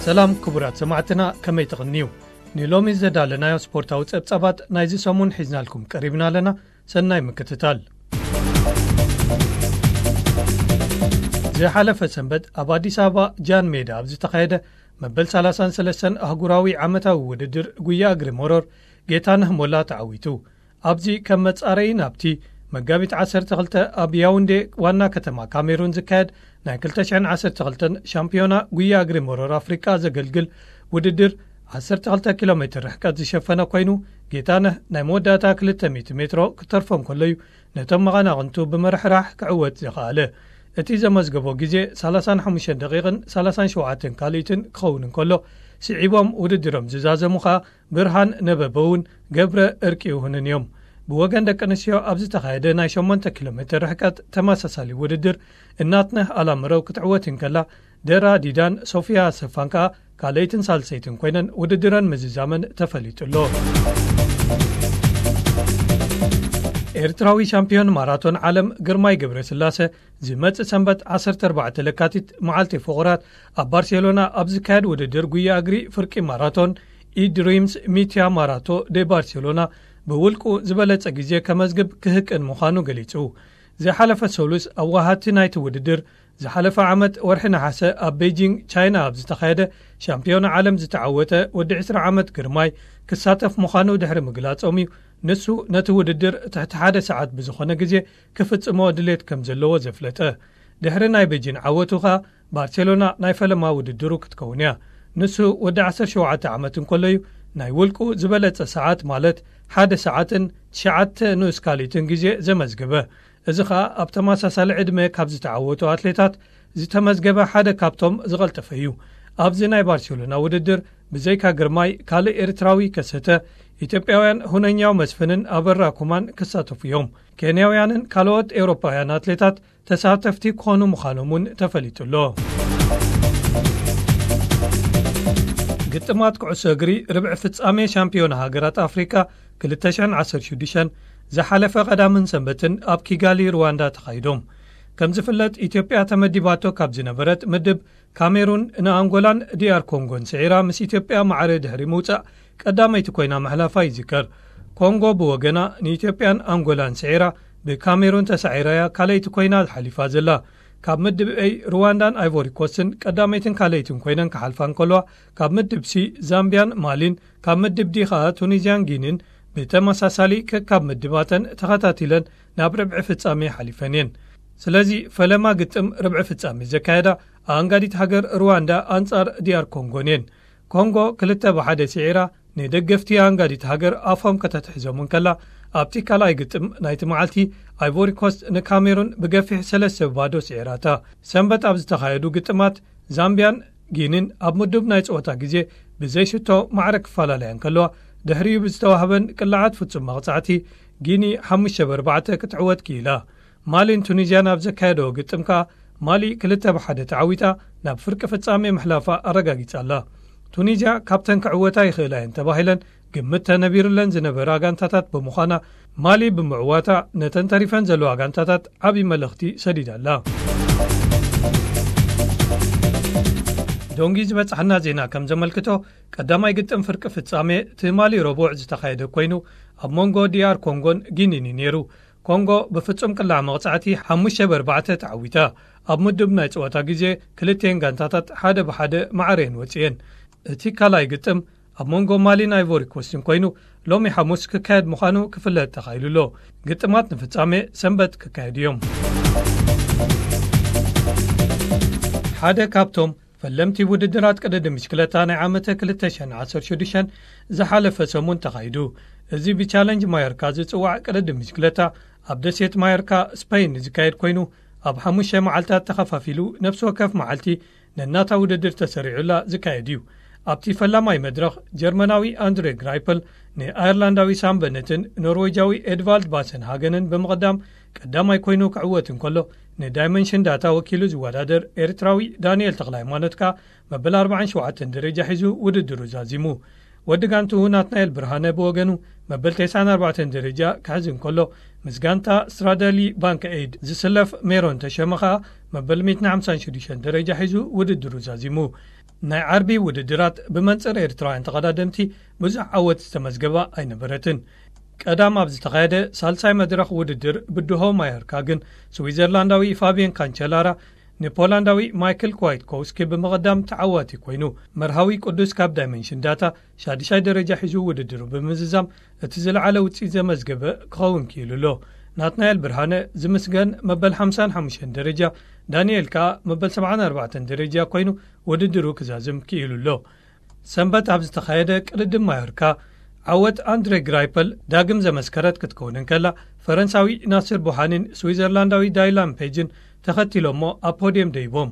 ሰላም ክቡራት ሰማዕትና፣ ከመይ ትቕንዩ? ንሎሚ ዘዳለናዮ ስፖርታዊ ጸብጻባት ናይዚ ሰሙን ሒዝናልኩም ቀሪብና ኣለና። ሰናይ ምክትታል። ዝሓለፈ ሰንበት ኣብ ኣዲስ ኣበባ ጃን ሜዳ ኣብ ዝተኻየደ መበል ሰላሳን ሰለስተን ኣህጉራዊ ዓመታዊ ውድድር ጉያ እግሪ መሮር፣ ጌታነህ ሞላ ተዓዊቱ። ኣብዚ ከም መጻረዪ ናብቲ መጋቢት ዓሰርተ ክልተ ኣብ ያውንዴ ዋና ከተማ ካሜሩን ዝካየድ ናይ ክልተ ሽሕን ዓሰርተ ክልተን ሻምፒዮና ጉያ እግሪ መሮር ኣፍሪቃ ዘገልግል ውድድር ዓሰርተ ክልተ ኪሎ ሜትር ርሕቀት ዝሸፈነ ኮይኑ፣ ጌታነህ ናይ መወዳእታ ክልተ ሚእቲ ሜትሮ ክተርፎ እንከሎ እዩ ነቶም መቐናቕንቱ ብምርሕራሕ ክዕወት ዝኸኣለ። እቲ ዘመዝገቦ ግዜ ሰላሳን ሓሙሽተን ደቂቕን ሰላሳን ሸውዓተን ካልኢትን ክኸውን እንከሎ፣ ስዒቦም ውድድሮም ዝዛዘሙ ኸኣ ብርሃን ነበበውን ገብረ እርቂ ይሁንን እዮም። ብወገን ደቂ ኣንስትዮ ኣብ ዝተኻየደ ናይ ሸሞንተ ኪሎ ሜትር ርሕቀት ተመሳሳሊ ውድድር፣ እናትነህ ኣላምረው ክትዕወት እንከላ፣ ደራ ዲዳን ሶፊያ ኣሰፋን ከኣ ካልኣይትን ሳልሰይትን ኮይነን ውድድረን ምዝዛመን ተፈሊጡ ኣሎ። ኤርትራዊ ሻምፒዮን ማራቶን ዓለም ግርማይ ገብረስላሴ፣ ዝመጽእ ሰንበት ዓሰርተ ኣርባዕተ ለካቲት፣ መዓልቲ ፍቑራት፣ ኣብ ባርሴሎና ኣብ ዝካየድ ውድድር ጉያ እግሪ ፍርቂ ማራቶን፣ ኢድሪምስ ሚትያ ማራቶ ደ ባርሴሎና፣ ብውልቁ ዝበለጸ ግዜ ከመዝግብ ክህቅን ምዃኑ ገሊጹ። ዝሓለፈ ሰሉስ፣ ኣብ ወሃቲ ናይቲ ውድድር፣ ዝሓለፈ ዓመት ወርሒ ነሓሰ ኣብ ቤጂንግ ቻይና ኣብ ዝተኻየደ ሻምፒዮና ዓለም ዝተዓወተ ወዲ ዕስራ ዓመት ግርማይ ክሳተፍ ምዃኑ ድሕሪ ምግላጾም እዩ፣ ንሱ ነቲ ውድድር ትሕቲ ሓደ ሰዓት ብዝኾነ ግዜ ክፍጽሞ ድሌት ከም ዘለዎ ዘፍለጠ። ድሕሪ ናይ ቤጂን ዓወቱ ኸኣ፣ ባርሴሎና ናይ ፈለማ ውድድሩ ክትከውን እያ። ንሱ ወዲ ዓሰርተ ሸውዓተ ዓመት እንከሎ እዩ ናይ ውልቁ ዝበለጸ ሰዓት፣ ማለት ሓደ ሰዓትን ትሽዓተ ንኡስ ካልኢትን ግዜ ዘመዝገበ። እዚ ኸኣ ኣብ ተመሳሳሊ ዕድመ ካብ ዝተዓወቱ ኣትሌታት ዝተመዝገበ ሓደ ካብቶም ዝቐልጠፈ እዩ። ኣብዚ ናይ ባርሴሎና ውድድር ብዘይካ ግርማይ ካልእ ኤርትራዊ ከሰተ፣ ኢትዮጵያውያን ሁነኛው መስፍንን ኣበራ ኩማን ክሳተፉ እዮም። ኬንያውያንን ካልኦት ኤውሮጳውያን ኣትሌታት ተሳተፍቲ ክኾኑ ምዃኖም እውን ተፈሊጡ ኣሎ። ግጥማት ኩዕሶ እግሪ ርብዒ ፍጻሜ ሻምፒዮና ሃገራት ኣፍሪካ ክልተ ሽሕን ዓሰርተ ሽዱሽተን ዝሓለፈ ቀዳምን ሰንበትን ኣብ ኪጋሊ ሩዋንዳ ተኻይዶም። ከም ዝፍለጥ፣ ኢትዮጵያ ተመዲባቶ ካብ ዝነበረት ምድብ፣ ካሜሩን ንኣንጎላን ዲኣር ኮንጎን ስዒራ ምስ ኢትዮጵያ ማዕረ ድሕሪ ምውጻእ ቀዳመይቲ ኮይና ምሕላፋ ይዝከር። ኮንጎ ብወገና ንኢትዮጵያን ኣንጎላን ስዒራ ብካሜሩን ተሳዒራ እያ ካልኣይቲ ኮይና ሓሊፋ ዘላ። ካብ ምድብ ኤ ሩዋንዳን ኣይቮሪ ኮስትን ቀዳመይትን ካልኣይትን ኮይነን ክሓልፋ እንከለዋ፣ ካብ ምድብ ሲ ዛምቢያን ማሊን፣ ካብ ምድብ ዲ ኸኣ ቱኒዝያን ጊኒን ብተመሳሳሊ ከካብ ምድባተን ተኸታቲለን ናብ ርብዒ ፍጻሜ ሓሊፈን እየን። ስለዚ ፈለማ ግጥም ርብዒ ፍጻሜ ዘካየዳ ኣኣንጋዲት ሃገር ሩዋንዳ ኣንጻር ዲኣር ኮንጎን እየን። ኮንጎ ክልተ ብሓደ ስዒራ ንደገፍቲ ኣኣንጋዲት ሃገር ኣፎም ከተትሕዞም እንከላ፣ ኣብቲ ካልኣይ ግጥም ናይቲ መዓልቲ ኣይቮሪ ኮስት ንካሜሩን ብገፊሕ ሰለስተ ባዶ ስዒራታ። ሰንበት ኣብ ዝተኻየዱ ግጥማት ዛምቢያን ጊኒን ኣብ ምዱብ ናይ ጸወታ ግዜ ብዘይ ሽቶ ማዕረ ክፈላለያ እንከለዋ፣ ድሕሪኡ ብዝተዋህበን ቅላዓት ፍጹም መቕጻዕቲ ጊኒ ሓሙሽተ ብ ኣርባዕተ ክትዕወት ክኢላ። ማሊን ቱኒዝያን ኣብ ዘካየደዎ ግጥም ከኣ ማሊ ክልተ ብ ሓደ ተዓዊታ ናብ ፍርቂ ፍጻሜ ምሕላፋ ኣረጋጊጻ ኣላ። ቱኒዝያ ካብተን ክዕወታ ይኽእላ እየን ተባሂለን ግምት ተነቢሩለን ዝነበራ ጋንታታት ብምዃና፣ ማሊ ብምዕዋታ ነተን ተሪፈን ዘለዋ ጋንታታት ዓቢ መልእኽቲ ሰዲዳ ኣላ። ዶንጊ ዝበጻሕና ዜና ከም ዘመልክቶ፣ ቀዳማይ ግጥም ፍርቂ ፍጻሜ ትማሊ ረቡዕ ዝተኻየደ ኮይኑ፣ ኣብ መንጎ ዲኣር ኮንጎን ጊኒን እዩ ነይሩ። ኮንጎ ብፍጹም ቅላዕ መቕጻዕቲ ሓሙሽተ ብ ኣርባዕተ ተዓዊታ። ኣብ ምዱብ ናይ ጸወታ ግዜ ክልቲኤን ጋንታታት ሓደ ብ ሓደ ማዕረ እየን ወጺኤን። እቲ ካልኣይ ግጥም ኣብ መንጎ ማሊን ኣይቮሪ ኮስትን ኮይኑ፣ ሎሚ ሓሙስ ክካየድ ምዃኑ ክፍለጥ ተኻኢሉ ኣሎ። ግጥማት ንፍጻሜ ሰንበት ክካየዱ እዮም። ሓደ ካብቶም ፈለምቲ ውድድራት ቅድድም ብሽክለታ ናይ ዓመተ ክልተ ሽሕን ዓሰርተ ሽዱሽተን ዝሓለፈ ሰሙን ተኻይዱ። እዚ ብቻለንጅ ማዮርካ ዝጽዋዕ ቅድድም ብሽክለታ ኣብ ደሴት ማዮርካ ስፐይን ዝካየድ ኮይኑ፣ ኣብ ሓሙሽተ መዓልታት ተኸፋፊሉ ነፍሲ ወከፍ መዓልቲ ነናታ ውድድር ተሰሪዑላ ዝካየድ እዩ። ኣብቲ ፈላማይ መድረኽ ጀርመናዊ ኣንድሬ ግራይፐል ንኣየርላንዳዊ ሳም በነትን ኖርዌጃዊ ኤድቫልድ ባሰን ሃገንን ብምቕዳም ቀዳማይ ኮይኑ ክዕወት እንከሎ፣ ንዳይመንሽን ዳታ ወኪሉ ዝወዳደር ኤርትራዊ ዳንኤል ተኽለሃይማኖት ከኣ መበል ኣርባዓን ሸውዓተን ደረጃ ሒዙ ውድድሩ ዛዚሙ። ወዲ ጋንትኡ ናትናኤል ብርሃነ ብወገኑ መበል ተስዓን ኣርባዕተን ደረጃ ክሕዝ እንከሎ፣ ምስ ጋንታ ስትራደሊ ባንክ ኤድ ዝስለፍ ሜሮን ተሸመ ኸኣ መበል ሚእትን ሓምሳን ሽዱሽተን ደረጃ ሒዙ ውድድሩ ዛዚሙ። ናይ ዓርቢ ውድድራት ብመንጽር ኤርትራውያን ተቐዳደምቲ ብዙሕ ዓወት ዝተመዝገባ ኣይነበረትን። ቀዳም ኣብ ዝተኻየደ ሳልሳይ መድረኽ ውድድር ብድሆ ማዮርካ ግን ስዊዘርላንዳዊ ፋብየን ካንቸላራ ንፖላንዳዊ ማይክል ክዋይትኮውስኪ ብምቕዳም ተዓዋቲ ኮይኑ፣ መርሃዊ ቅዱስ ካብ ዳይመንሽን ዳታ ሻድሻይ ደረጃ ሒዙ ውድድሩ ብምዝዛም እቲ ዝለዓለ ውፅኢት ዘመዝገበ ክኸውን ክኢሉ ኣሎ። ናትናኤል ብርሃነ ዝምስገን መበል ሓምሳን ሓሙሽተን ደረጃ፣ ዳንኤል ከኣ መበል ሰብዓን ኣርባዕተን ደረጃ ኮይኑ ውድድሩ ክዛዝም ክኢሉ ኣሎ። ሰንበት ኣብ ዝተኻየደ ቅድድም ማዮርካ ዓወት ኣንድሬ ግራይፐል ዳግም ዘመስከረት ክትከውን እንከላ፣ ፈረንሳዊ ናስር ቡሃኒን ስዊዘርላንዳዊ ዳይላን ፔጅን ተኸቲሎሞ ኣብ ፖድየም ደይቦም።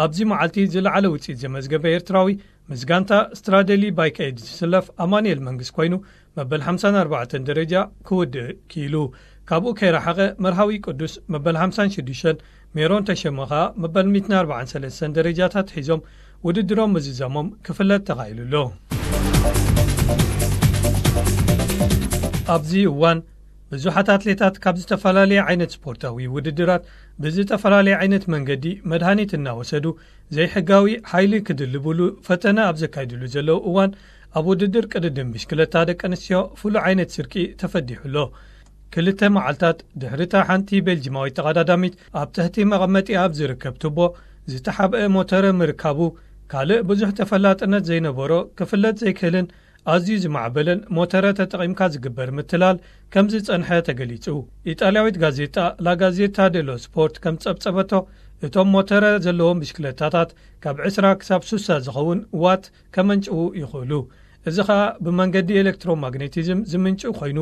ኣብዚ መዓልቲ ዝለዓለ ውፅኢት ዘመዝገበ ኤርትራዊ ምስ ጋንታ ስትራደሊ ባይክ ኤድ ዝስለፍ ኣማኑኤል መንግስ ኮይኑ መበል ሓምሳን ኣርባዕተን ደረጃ ክውድእ ክኢሉ። ካብኡ ከይረሓቐ መርሃዊ ቅዱስ መበል ሓምሳን ሽዱሽተን፣ ሜሮን ተሸመ ኸኣ መበል ሚእትን ኣርባዓን ሰለስተን ደረጃታት ሒዞም ውድድሮም ምዝዛሞም ክፍለጥ ተኻኢሉ ኣሎ። ኣብዚ እዋን ብዙሓት ኣትሌታት ካብ ዝተፈላለየ ዓይነት ስፖርታዊ ውድድራት ብዝተፈላለየ ዓይነት መንገዲ መድሃኒት እናወሰዱ ዘይሕጋዊ ሓይሊ ክድልብሉ ፈተነ ኣብ ዘካይድሉ ዘለዉ እዋን፣ ኣብ ውድድር ቅድድም ብሽክለታ ደቂ ኣንስትዮ ፍሉይ ዓይነት ስርቂ ተፈዲሑ ኣሎ። ክልተ መዓልታት ድሕሪታ ሓንቲ ቤልጂማዊት ተቐዳዳሚት ኣብ ትሕቲ መቐመጢ ኣብ ዝርከብ ቱቦ ዝተሓብአ ሞተረ ምርካቡ፣ ካልእ ብዙሕ ተፈላጥነት ዘይነበሮ ክፍለጥ ዘይክእልን ኣዝዩ ዝማዕበለን ሞተረ ተጠቒምካ ዝግበር ምትላል ከም ዝጸንሐ ተገሊጹ። ኢጣልያዊት ጋዜጣ ላጋዜታ ዴሎ ስፖርት ከም ጸብጸበቶ፣ እቶም ሞተረ ዘለዎም ብሽክለታታት ካብ ዕስራ ክሳብ ስሳ ዝኸውን ዋት ከመንጭዉ ይኽእሉ። እዚ ኸኣ ብመንገዲ ኤሌክትሮማግኔቲዝም ዝምንጩ ኮይኑ፣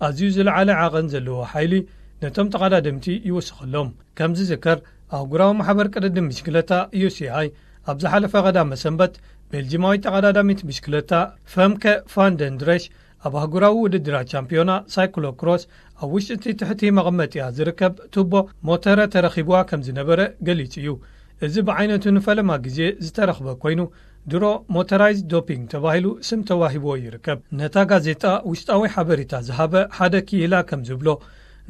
ኣዝዩ ዝለዓለ ዓቐን ዘለዎ ሓይሊ ነቶም ተቐዳደምቲ ይውስኸሎም። ከም ዝዝከር፣ ኣህጉራዊ ማሕበር ቅድድም ብሽክለታ፣ ዩ ሲ ኣይ፣ ኣብ ዝሓለፈ ቀዳመ ሰንበት ቤልጂማዊት ተቐዳዳሚት ብሽክለታ ፈምከ ፋንደንድረሽ ኣብ ኣህጉራዊ ውድድራት ቻምፒዮና ሳይክሎ ክሮስ ኣብ ውሽጢ እቲ ትሕቲ መቐመጢኣ ዝርከብ ቱቦ ሞተረ ተረኺብዋ ከም ዝነበረ ገሊጹ እዩ። እዚ ብዓይነቱ ንፈለማ ግዜ ዝተረኽበ ኮይኑ፣ ድሮ ሞተራይዝ ዶፒንግ ተባሂሉ ስም ተዋሂብዎ ይርከብ። ነታ ጋዜጣ ውሽጣዊ ሓበሬታ ዝሃበ ሓደ ክኢላ ከም ዝብሎ፣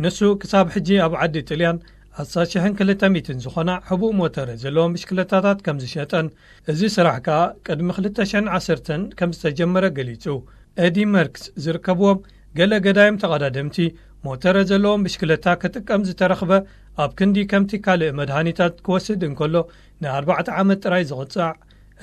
ንሱ ክሳብ ሕጂ ኣብ ዓዲ ጥልያን ኣስታት ሽሕን ክልተ ሚእትን ዝኾና ሕቡእ ሞተረ ዘለዎም ብሽክለታታት ከም ዝሸጠን፣ እዚ ስራሕ ከኣ ቅድሚ ክልተ ሽሕን ዓሰርተን ከም ዝተጀመረ ገሊጹ። ኤዲ መርክስ ዝርከብዎም ገለ ገዳይም ተቐዳደምቲ፣ ሞተረ ዘለዎም ብሽክለታ ክጥቀም ዝተረኽበ፣ ኣብ ክንዲ ከምቲ ካልእ መድሃኒታት ክወስድ እንከሎ ንኣርባዕተ ዓመት ጥራይ ዝቕጻዕ፣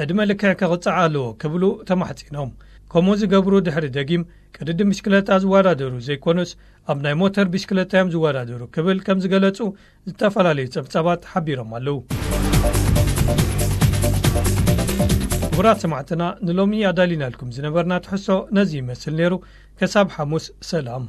ዕድመ ልክዕ ክቕጻዕ ኣለዎ ክብሉ ተማሕጺኖም። ከምኡ ዝገብሩ ድሕሪ ደጊም ቅድድም ብሽክለታ ዝወዳደሩ ዘይኮኑስ፣ ኣብ ናይ ሞተር ብሽክለታ እዮም ዝወዳደሩ ክብል ከም ዝገለጹ ዝተፈላለዩ ጸብጻባት ሓቢሮም ኣለዉ። ክቡራት ሰማዕትና፣ ንሎሚ ኣዳሊናልኩም ዝነበርና ትሕሶ ነዚ ይመስል ነይሩ። ከሳብ ሓሙስ ሰላም።